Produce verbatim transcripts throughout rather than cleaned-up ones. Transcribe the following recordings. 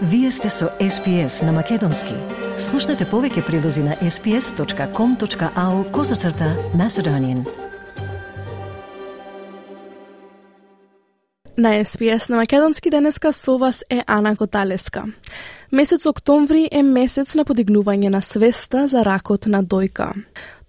Вие сте со Ес Би Ес на Македонски. Слушнете повеќе прилози на ес би ес точка ком точка ау козацрта Macedonian. На Ес Би Ес на Македонски денеска со вас е Ана Коталеска. Месец октомври е месец на подигнување на свеста за ракот на дојка.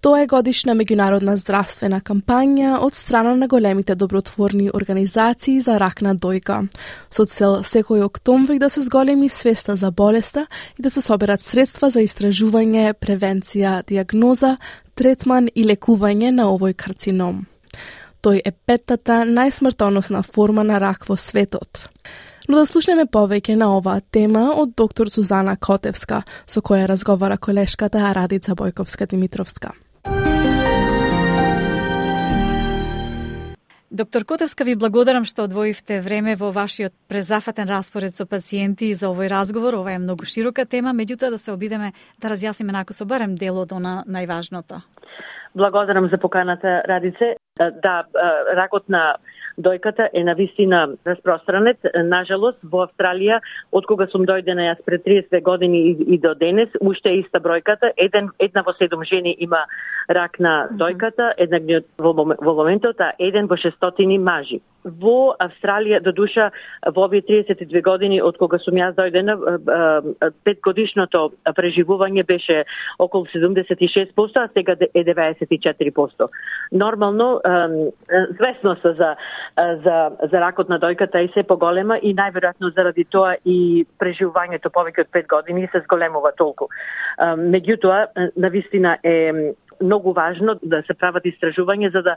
Тоа е годишна меѓународна здравствена кампања од страна на големите добротворни организации за рак на дојка, со цел секој октомври да се зголеми свеста за болеста и да се соберат средства за истражување, превенција, диагноза, третман и лекување на овој карцином. Тој е петтата најсмртоносна форма на рак во светот. Но да слушнеме повеќе на оваа тема од доктор Сузана Котевска, со која разговара колешката Радица Бојковска-Димитровска. Доктор Котевска, ви благодарам што одвоивте време во вашиот презафатен распоред со пациенти за овој разговор. Ова е многу широка тема, меѓутоа да се обидеме да разјасниме накусо барем дел од она најважното. Благодарам за поканата, Радице. Да, ракот на дојката е навистина распространет. Нажалост, во Австралија, од кога сум дојдена јас пред триесет години и, и до денес, уште е иста бројката. Еден, една во седум жени има рак на дојката, една во, во моментот, а еден во шестстотини мажи. Во Австралија, до душа, во овие триесет и две години, од кога сум јас дојдена, петгодишното преживување беше околу седумдесет и шест проценти, а сега е деветдесет и четири проценти. Нормално, свесноста за за за ракот на дојката е се поголема и најверојатно заради тоа и преживувањето повеќе од пет години се зголемува толку. Меѓутоа, навистина е многу важно да се прават истражувања за да,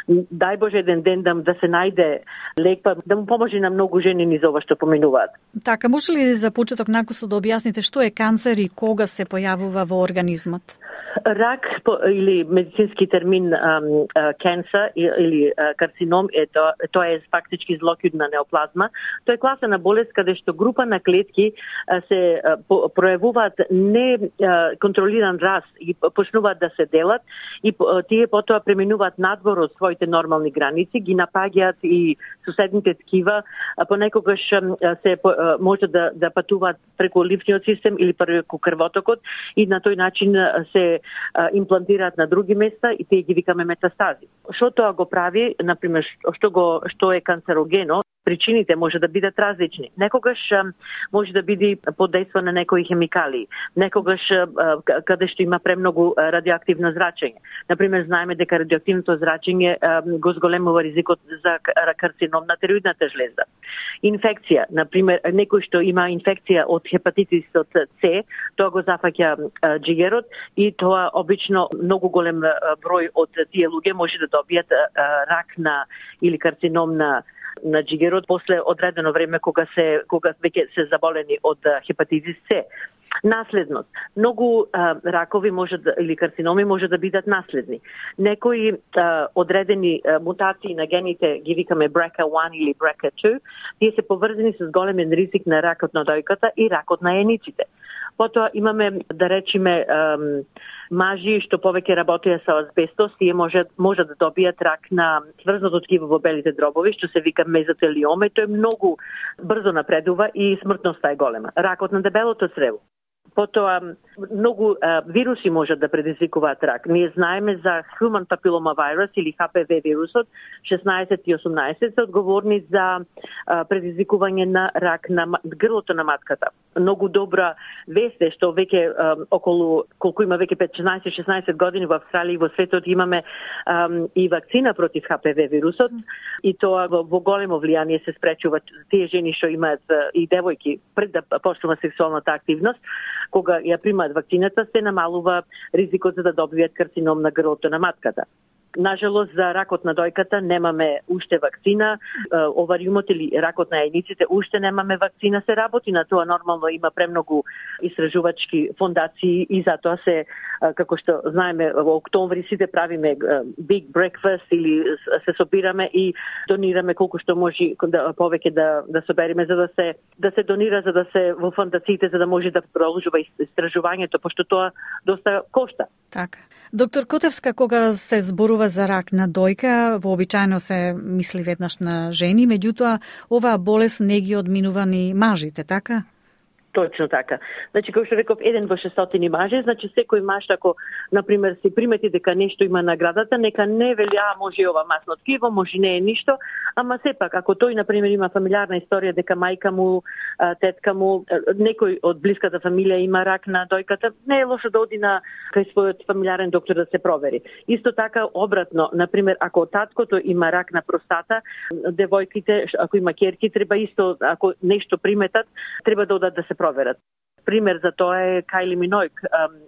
дај Боже, еден ден да, да се најде лек, па да му поможи на многу жени низ ова што поминуваат. Така, може ли за почеток накусо да објасните што е канцер и кога се појавува во организмот? Рак, или медицински термин cancer или карцином, е тоа, тоа е фактички злокидна неоплазма. Тоа е класа на болест каде што група на клетки се пројавуваат неконтролиран раст и почнуваат да се делат и тие потоа преминуваат надвор од своите нормални граници, ги напаѓаат и соседните ткива, понекогаш се може да, да патуваат преку ливниот систем или преку крвотокот и на тој начин се имплантираат на други места и тие ги викаме метастази. Што тоа го прави, например, што го што е канцерогено? Причините може да бидат различни. Некогаш може да биде подејство на некои хемикали, некогаш каде што има премногу радиоактивно зрачење. Например, знаеме дека радиоактивното зрачење го зголемува ризикот за карцином на тироидната жлезда. Инфекција, например, некој што има инфекција од хепатитисот С, тоа го зафаќа џигерот и тоа обично многу голем број од тие луѓе може да добијат рак на или карцином на на џигерот после одредено време кога се кога веќе се заболени од хепатитис С. Наследност. Многу а, ракови може да, или карциноми може да бидат наследни. Некои а, одредени а, мутации на гените ги викаме бр ка еден или бр ка две, тие се поврзани со големен ризик на ракот на дојката и ракот на јаниците. Потоа имаме, да речиме, ам, мажи што повеќе работеа со азбестос, тие може, може да добијат рак на сврзното ткиво во белите дробови, што се вика мезотелиома, и тој многу брзо напредува и смртноста е голема. Ракот на дебелото црево. Потоа, многу а, вируси можат да предизвикуваат рак. Ние знаеме за Human Papilloma Virus или Х П В вирусот, шеснаесет и осумнаесет се одговорни за а, предизвикување на рак на грлото на матката. Многу добра вест е што веќе а, околу, колку има веќе петнаесет-шеснаесет години во Австралија и во светот имаме а, и вакцина против Х П В вирусот и тоа во, во големо влијание се спречува тие жени што имаат и девојки пред да почнува сексуалната активност, кога ја примаат вакцината, се намалува ризикот за да добијат карцином на грлото на матката. Нажалост, за ракот на дојката немаме уште вакцина, овариумот или ракот на јајниците уште немаме вакцина, се работи на тоа, нормално има премногу истражувачки фондации и затоа се, како што знаеме, во октомври сите правиме big breakfast или се собираме и донираме колку што може да, повеќе да, да собериме за да се да се донира, за да се во фондациите, за да може да продолжува истражувањето, пошто тоа доста кошта. Така. Доктор Котевска, кога се зборува за рак на дојка, вообичаено се мисли веднаш на жени, меѓутоа оваа болест не ги одминува ни мажите, така? Точно така. Значи, како што реков, еден во шестстотини мажи, значи секој маж, ако, например, се примети дека нешто има наградата, нека не вели, а, може ова масно ткиво, може не е ништо, ама сепак, ако тој, например, има фамилиарна историја дека мајка му, тетка му, некој од блиската фамилија има рак на дојката, не е лошо да оди на кај својот фамилиарен доктор да се провери. Исто така, обратно, например, ако таткото има рак на простата, девојките, ако има ќерки, треба исто, ако нешто приметат, треба да одат да се проверат. Пример за тоа е Кайли Минојк.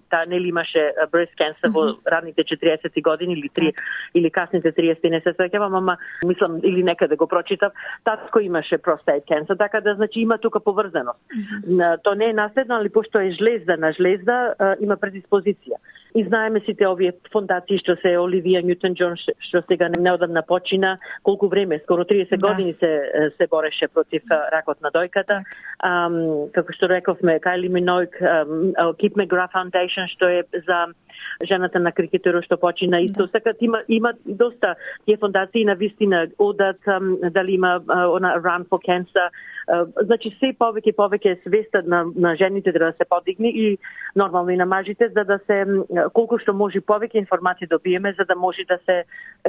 Таа нели имаше breast cancer во ранните четириесетти години или три или касните триесетти, не се сеќавам, ама мислам или некаде го прочитав, татко имаше prostate cancer, така да значи има тука поврзаност. Mm-hmm. То не е наследно, али пошто е жлезда на жлезда, има предиспозиција. И знаеме сите овие фондации што се Оливија Ньютон-Џон што сега неодамна почина, колку време, скоро триесет да. години се се бореше против ракот на дојката. Um, како што рековме, Кайли Минојк, um, Keep McGrath Foundation што е за жената на крикетерот што почина исто така да. има има доста тие фондации на вистина одат um, дали има uh, она Run for Cancer. Uh, значи се повеќе повеќе свеста на на жените да се подигне и нормално и на мажите за да се колку што може повеќе информации добиеме за да може да се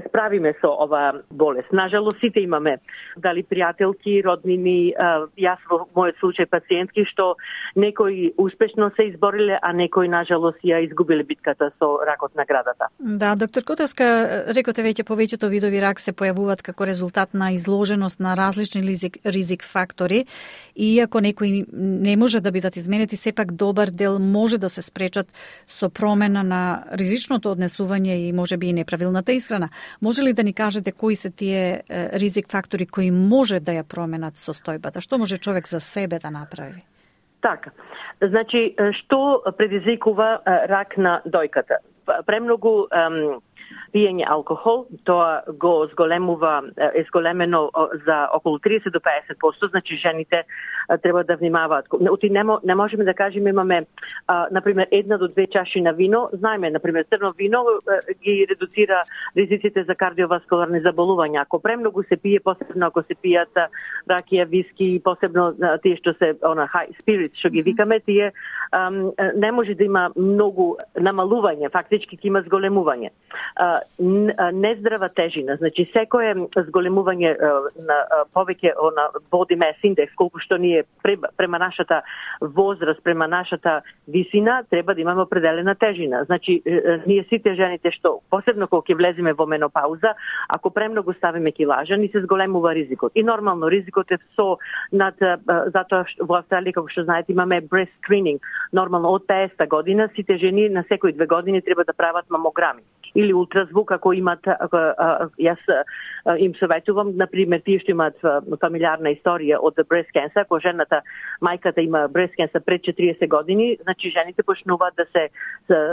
справиме со ова болест. Нажалост сите имаме дали пријателки, роднини, uh, јас во мојот случај пациентки што некои успешно се избориле, а некои нажалост ја изгубиле битката со ракот на градата. Да, доктор Котевска, рекоте веќе повеќето видови рак се појавуваат како резултат на изложеност на различни ризик, ризик фактори. И ако некои не може да бидат изменети, сепак добар дел може да се спречат со промена на ризичното однесување и можеби и неправилната исхрана. Може ли да ни кажете кои се тие ризик фактори кои може да ја променат состојбата? Што може човек за себе да направи? Така. Значи, што предизвикува рак на дојката? Премногу ем, пиење алкохол, тоа го зголемува, е зголемено за околу триесет до песет проценти, значи жените треба да внимаваат. Оти не, не можеме да кажеме имаме, а, например, една до две чаши на вино, знаеме, например, црно вино а, ги редуцира ризиците за кардиоваскуларни заболувања. Ако премногу се пие, посебно ако се пијат ракија, виски, посебно а, тие што се она high spirits, што ги викаме, тие а, не може да има многу намалување, фактички ќе има зголемување. А, нездрава тежина, значи секое зголемување на повеќе на body mass index, колку што ние према нашата возраст, према нашата висина, треба да имаме определена тежина. Значи ние сите жените што посебно кога ќе влеземе во менопауза, ако премногу ставиме килажа, ни се зголемува ризикот. И нормално ризикот е со над затоа што во Австралија како што знаете имаме breast screening. Нормално од петдесета година сите жени на секои две години треба да прават мамограми или ултразвук ако имат, ако, а, јас а, им советувам, например, тие што имаат фамилиарна историја од breast cancer, ако жената, мајката има breast cancer пред четириесет години, значи жените почнуваат да се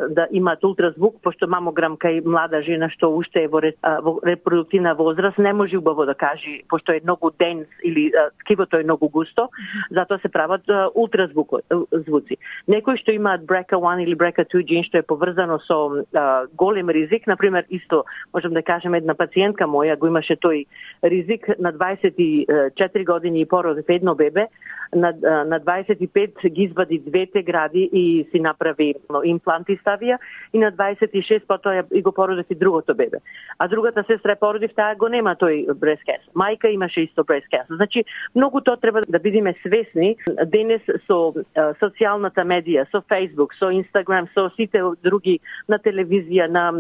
да имаат ултразвук, пошто мамограм кај млада жена што уште е во, во репродуктивна возраст, не може убаво да каже, пошто е многу денс или а, ткивото е многу густо, затоа се прават ултразвуци. Некои што имаат бр си ей еден или бр си ей две ген што е поврзано со а, голем ризик, например, исто можам да кажем една пациентка моја го имаше тој ризик на дваесет и четири години и породив едно бебе, на, на дваесет и пет ги извади двете гради и си направи импланти ставија и на дваесет и шест потоа и го породив и другото бебе. А другата сестра породив, таа го нема тој breast cancer. Мајка имаше исто breast cancer. Значи, многу тоа треба да бидеме свесни денес со социјалната медија, со Facebook, со Instagram, со сите други на телевизија, на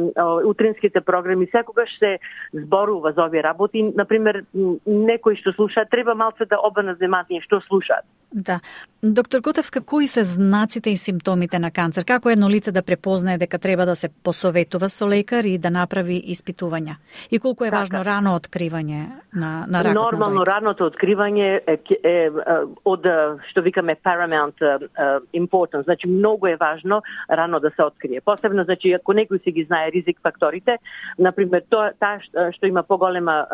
утринските програми, секогаш се зборува за овие работи. Например, некои што слушаат, треба малце да обрнат внимание што слушаат. Да. Доктор Котевска, кои се знаците и симптомите на канцер? Како едно лице да препознае дека треба да се посоветува со лекар и да направи испитувања? И колку е така важно рано откривање на, на ракот Нормално, на дојка? раното откривање е, е, е од, што викаме, paramount uh, importance. Значи, многу е важно рано да се открие. Посебно, значи, ако некој си ги знае ризик факторите, например, тоа та што има поголема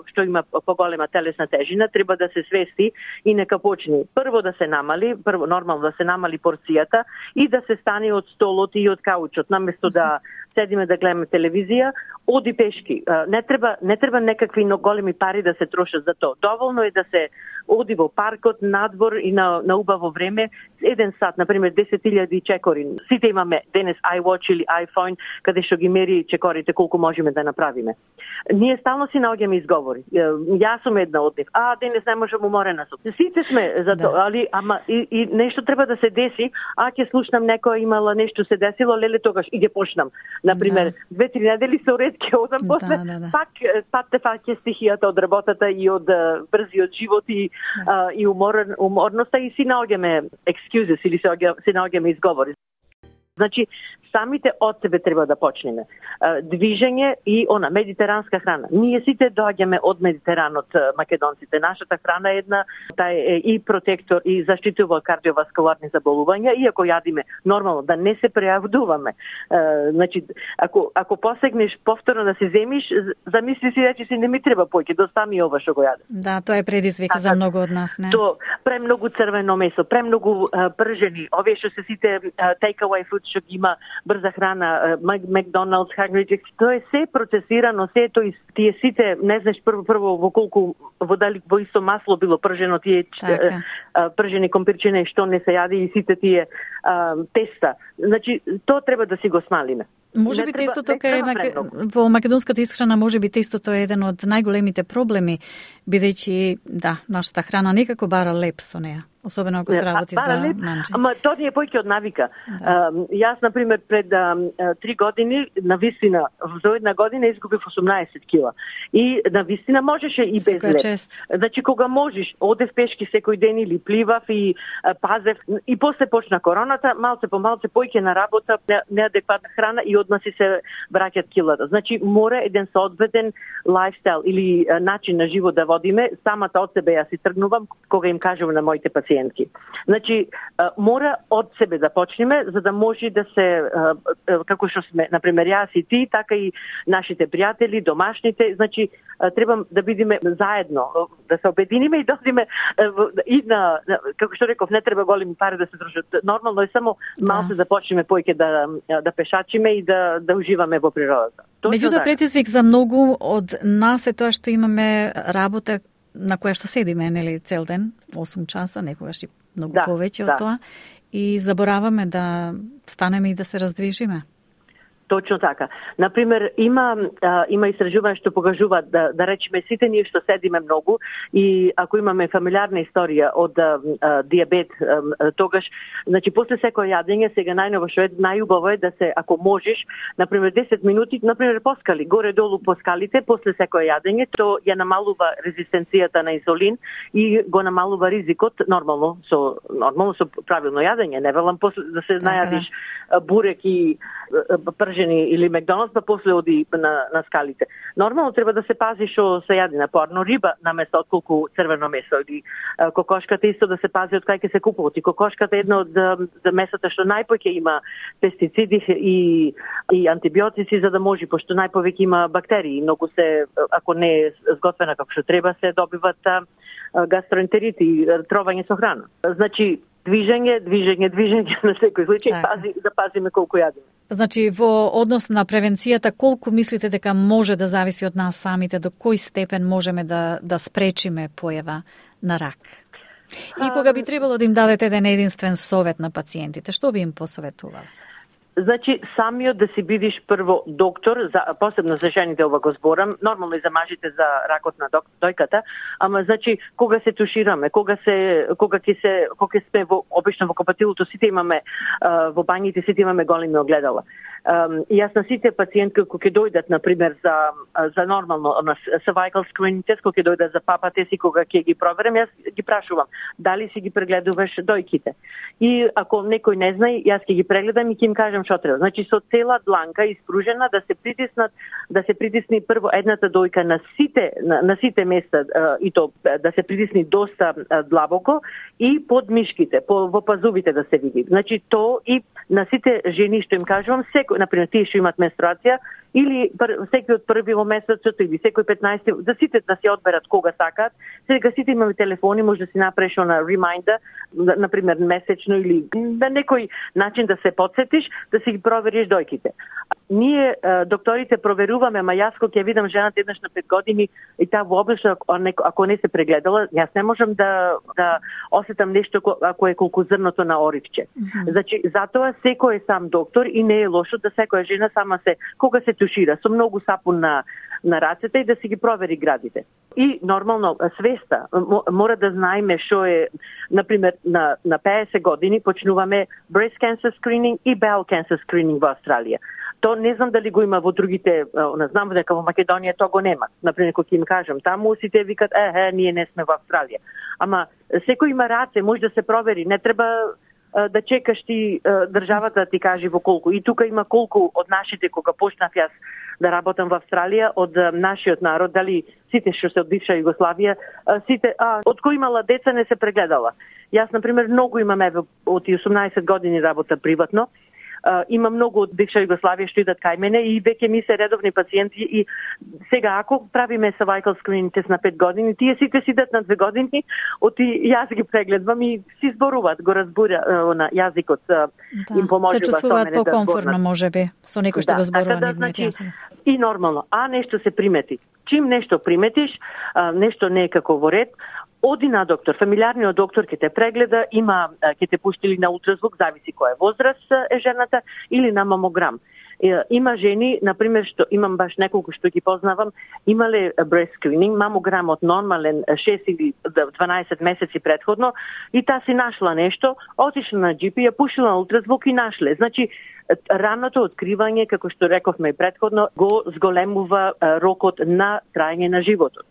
што има поголема телесна тежина, треба да се свести и нека почне прво да се намали, прво нормално да се намали порцијата и да се стане од столот и од каучот, наместо да седиме да гледаме телевизија, оди пешки. Не треба не треба некакви големи пари да се трошат за тоа. Доволно е да се оди во паркот, надвор и на на убаво време, еден сат, на пример десет илјади чекори. Сите имаме денес iWatch или iPhone, каде што ги мери чекорите колку можеме да направиме. Ние стално си наоѓаме изговори. Јас сум една од нив. А, денес не можам, уморена сум. Сите сме за тоа, да. Али ама и, и нешто треба да се деси, а ќе слушнам некоја имала нешто се десило, леле тогаш и ќе почнам. На пример, да. две-три недели се уред ќе одам после, да, да, да. пак пак те фаќа стихијата од работата и од брзиот живот и да. а, и умор, уморноста и си наоѓаме excuses или си наоѓаме изговори. Значи, самите од себе треба да почнеме. Движење и она медитеранска храна. Ние сите доаѓаме од Медитеранот, македонците. Нашата храна е една, тај е и протектор и заштитува кардиоваскуларни заболувања, иако јадиме нормално да не се прејавдуваме. Значи, ако ако посегнеш повторно да се земиш, замисли си речи си не ми треба поќе, достами ова што го јадам. Да, тоа е предизвик за многу од нас, не? То премногу црвено месо, премногу пржени, овие што се сите take away food што ги има брза храна, Макдоналдс, Хагридж, тоа е се процесирано, се тој тие сите, не знаеш прво прво во колку во дали во исто масло било пржено тие така. Пржени компирчине што не се јади и сите тие а, теста. Значи тоа треба да си го смалиме. Може би тестото е маке... во македонската исхрана може би тестото е еден од најголемите проблеми, бидејќи да, нашата храна некако бара леп со неа. Особено ако се работи а, за манџи. Ама тоа ни е појќе од навика. Да. Uh, јас, например, пред uh, три години, на вистина, за една година изгубив осумнаесет кила. И на вистина можеше и без леп. Чест. Значи, кога можеш, одев пешки секој ден или пливав и uh, пазев. И после почна короната, малце по малце појќе на работа, не, неадекватна храна и одма си се враќат килата. Значи, мора еден соодветен лайфстайл или uh, начин на живот да водиме. Самата од себе ја си тргнувам, кога им кажувам на моите пациенти. Значи, мора од себе да почнеме, за да може да се, како што сме, например, јас и ти, така и нашите пријатели, домашните, значи, треба да бидеме заедно, да се обединиме и да одиме и на, како што реков, не треба големи пари да се трошат. Нормално е само малку да почнеме појќе да, да пешачиме и да, да уживаме во природата. Меѓутоа, претизвик за многу од нас е тоа што имаме работа на која што седиме, нели, цел ден, осум часа, некогаш и многу да, повеќе од да. Тоа, и забораваме да станеме и да се раздвижиме. Точно така. Например, има а, има истражување што покажува да да речеме сите ние што седиме многу и ако имаме фамилиарна историја од а, а, диабет, а, тогаш, значи после секој јадење, сега најново што е најубаво е да се, ако можеш, например десет минути, например поскали, горе-долу по скалите, после секој јадење, то ја намалува резистенцијата на инсулин и го намалува ризикот нормално со нормално со правилно јадење. Не велам после да се најадиш бурек и пржени или Макдоналдс, па после оди на, на скалите. Нормално треба да се пази што се јади на порно риба наместо отколку црвено месо или а, кокошката исто да се пази од кај ќе се купуваат. И кокошката е едно од за месата што најпоќе има пестициди и и антибиотици за да може, пошто најповеќе има бактерии, многу се ако не е сготвена како што треба се добиват а, гастроентерити, тровање со храна. Значи движење, движење, движење на секој случај, така. Пази, да пазиме колку јадиме. Значи, во однос на превенцијата, колку мислите дека може да зависи од нас самите, до кој степен можеме да, да спречиме појава на рак? И кога би требало да им дадете еден единствен совет на пациентите, што би им посоветувал? Значи, самиот да си бидиш прво доктор, за, посебно за жените ова го зборам, нормално и за мажите за ракот на дојката, ама значи, кога се тушираме, кога се, кога ќе се, кога сме во, обично во копатилото, сите имаме, а, во бањите сите имаме големи огледала. Um, и јас на сите пациентки кои ќе дојдат, например, за, за нормално на cervical screening тест, кои ќе дојдат за папа тест и кога ќе ги проверам, јас ги прашувам дали си ги прегледуваш дојките. И ако некој не знае, јас ќе ги прегледам и ќе им кажам што треба. Значи со цела дланка испружена да се притиснат, да се притисни прво едната дојка на сите на, на сите места и то да се притисни доста длабоко и под мишките, по во пазувите да се види. Значи то и на сите жени што им кажувам, секој, например, тие што имаат менструација, или секој од први во месецот или секој петнаесети, да сите да се одберат кога сакаат. Сега сите имаме телефони, може да си направиш на ремайндер, на пример месечно или на некој начин да се потсетиш, да си ги провериш дојките. Ние докторите проверуваме, ама јас кога ќе видам жената еднаш на пет години и таа воопшто ако не се прегледала, јас не можам да да осетам нешто ако е колку зрното на оричче. Mm-hmm. Значи затоа секој е сам доктор и не е лошо да секоја жена сама се кога се тушира со многу сапун на на рацете и да си ги провери градите. И нормално свеста мора да знаеме што е, например, на на петдесет години почнуваме breast cancer screening и bowel cancer screening во Австралија. То не знам дали го има во другите, не знам дека во Македонија то го нема. Например, кога им кажам, таму сите викат, е, е, ние не сме во Австралија. Ама секој има раце, може да се провери, не треба да чекаш ти државата да ти каже во колку. И тука има колку од нашите, кога почнав јас да работам во Австралија, од нашиот народ, дали сите што се од бивша Југославија, сите, а, од кој имала деца не се прегледала. Јас, например, многу имам, еве, од осумнаесет години работа приватно, Uh, има многу од бивша Југославија што идат кај мене и веќе ми се редовни пациенти и сега ако правиме cervical screening тест на пет години, тие сите сидат на две години, оти јас ги прегледвам и си зборуваат, го разбура uh, на јазикот, uh, да, им поможува. Се чувствуваат покомфортно, да можеби, со некој што да, го зборува така да, нивниот значи, јазик. И нормално, а нешто се примети. Чим нешто приметиш, uh, нешто не е како во ред, оди на доктор, фамилиарниот доктор ќе те прегледа, има ќе те пушти или на ултразвук, зависи која возраст е жената, или на мамограм. Има жени, например, што имам баш неколку што ги познавам, имале breast screening, мамограмот нормален шест или дванаесет месеци претходно и таа си нашла нешто, отишла на џи пи, ја пушила на ултразвук и нашле. Значи, раното откривање, како што рековме и претходно, го зголемува рокот на траење на животот.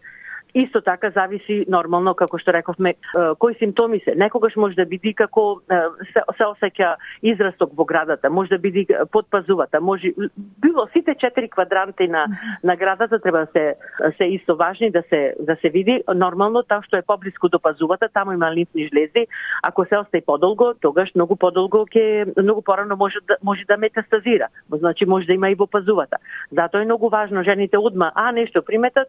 Исто така зависи нормално, како што рековме, кои симптоми се. Некогаш може да биде како се, се осеќа израсток во градата, може да биде под пазувата, може било сите четири квадранти на на градата треба да се се исто важни да се да се види нормално тоа што е поблиску до пазувата, таму има лимфни жлези. Ако се остаи подолго, тогаш многу подолго ќе многу порано може да може да метастазира. Значи може да има и во пазувата. Затоа е многу важно жените одма, а нешто приметат,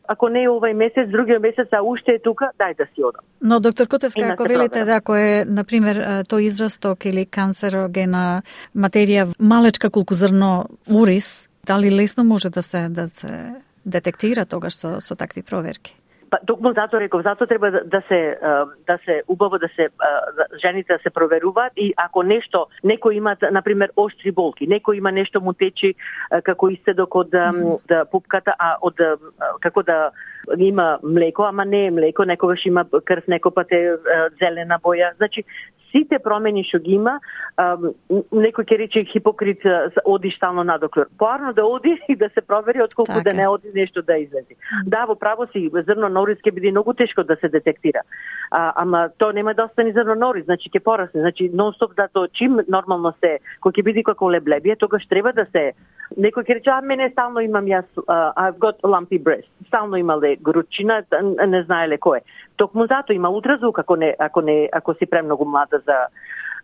ако не е овај месец, другиот месец, а уште е тука, дај да си одам. Но, доктор Котевска, ако велите да, ако е, например, тој израсток или канцерогена материја, малечка колку зрно урис, дали лесно може да се да се детектира тогаш со, со такви проверки? Па токму затоа реков, затоа треба да, да се да се убаво да се да, жените да се проверуваат и ако нешто некој има на пример оштри болки, некој има нешто му течи како истедок од mm. да пупката, а од како да има млеко, ама не е млеко, некогаш има крв, некој пат е зелена боја. Значи сите промени што ги има, некој ќе рече хипокрит, оди стално на доктор. Поарно да оди и да се провери отколку така. Да не оди нешто да излези. Да, во право си, зрно на урис ќе биде многу тешко да се детектира. А, ама то нема да остане зрно на урис, значи ќе порасне, значи нон-стоп затоа чим нормално се, кој ќе биде како леблебие, тогаш треба да се некој ќе рече, а мене стално имам јас, uh, I've got lumpy breast. Стално имале грудчина, не знаеле кој е. Токму затоа има ултразвук ако не ако не ако си премногу млада за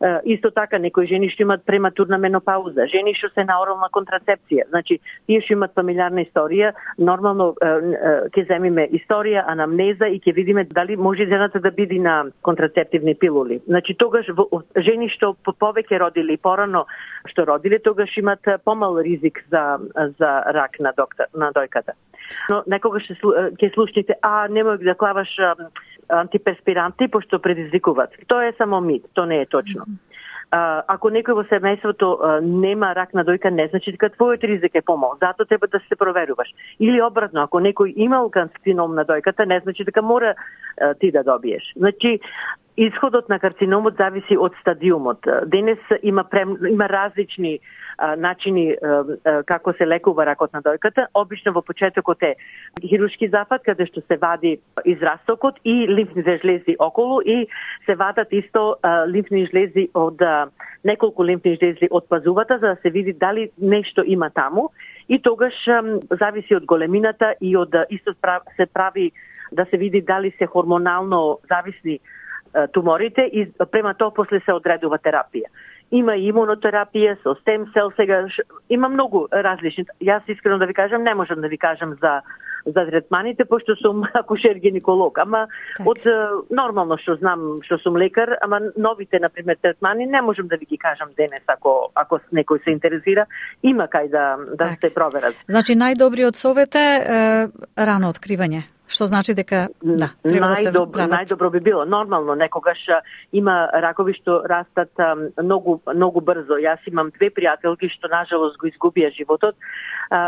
uh, исто така некои жени што имаат прематурна менопауза, жени што се на орална контрацепција. Значи тие што имаат фамилиарна историја, нормално ќе uh, uh, земиме историја, анамнеза и ќе видиме дали може жената да биде на контрацептивни пилули. Значи тогаш жени што повеќе родили порано што родиле, тогаш имаат помал ризик за за рак на доктор на дојката. Но некогаш ќе слушнете, а немој да клаваш антиперспиранти, пошто предизвикуваат. Тоа е само мит, тоа не е точно. А, ако некој во семејството а, нема рак на дојка, не значи дека твојот ризик е помал. Затоа треба да се проверуваш. Или обратно, ако некој имал карцином на дојката, не значи дека мора а, ти да добиеш. Значи, исходот на карциномот зависи од стадиумот. Денес има прем, има различни а, начини а, а, како се лекува ракот на дојката. Обично во почетокот е хируршки зафат, каде што се вади израстокот и лимфните жлези околу и се вадат исто а, лимфни жлези од а, неколку лимфни жлези од пазувата за да се види дали нешто има таму и тогаш а, зависи од големината и од а, исто се прави да се види дали се хормонално зависни туморите и према тоа после се одредува терапија. има и имунотерапија со стем сел, сега има многу различни. Јас искрено да ви кажам, не можам да ви кажам за за третманите, пошто сум акушер гинеколог, ама так. Од нормално што знам, што сум лекар, ама новите на пример третмани не можам да ви ги кажам денес ако ако некој се интересира, има кај да да так. Се проверат. Значи најдобриот совет е, е рано откривање. Што значи дека да, треба најдобро, да се најдобро би било. Нормално некогаш има ракови што растат многу многу брзо. Јас имам две пријателки што нажалост го изгубија животот.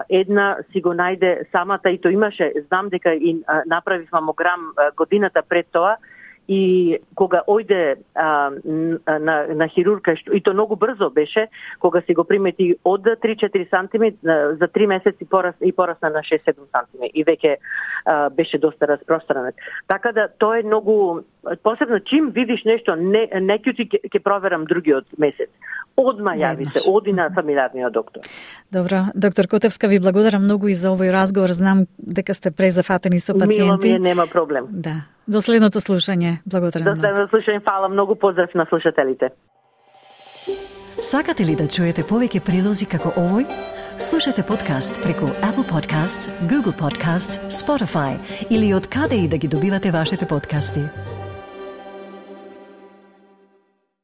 Една си го најде самата и тоа имаше, знам дека и направи мамограм годината пред тоа. И кога ојде а, на, на хирурга, и то многу брзо беше, кога си го примети од три-четири сантиметри, за три месеци порас, и порасна на шест-седум сантиметри. И веќе а, беше доста распространет. Така да, тоа е многу, посебно чим видиш нешто, не, не ќе ќе проверам другиот месец. Одма јави се, оди на фамилиарниот доктор. Добро, доктор Котевска, ви благодарам многу и за овој разговор. Знам дека сте презафатени со пациенти. Мило ми е, нема проблем. Да. До следното слушање. Благодарам. До следното слушање, фала многу, поздрав на слушателите. Сакате ли да чуете повеќе прилози како овој? Слушате подкаст преку Apple Podcasts, Google Podcasts, Spotify или од каде и да ги добивате вашите подкасти.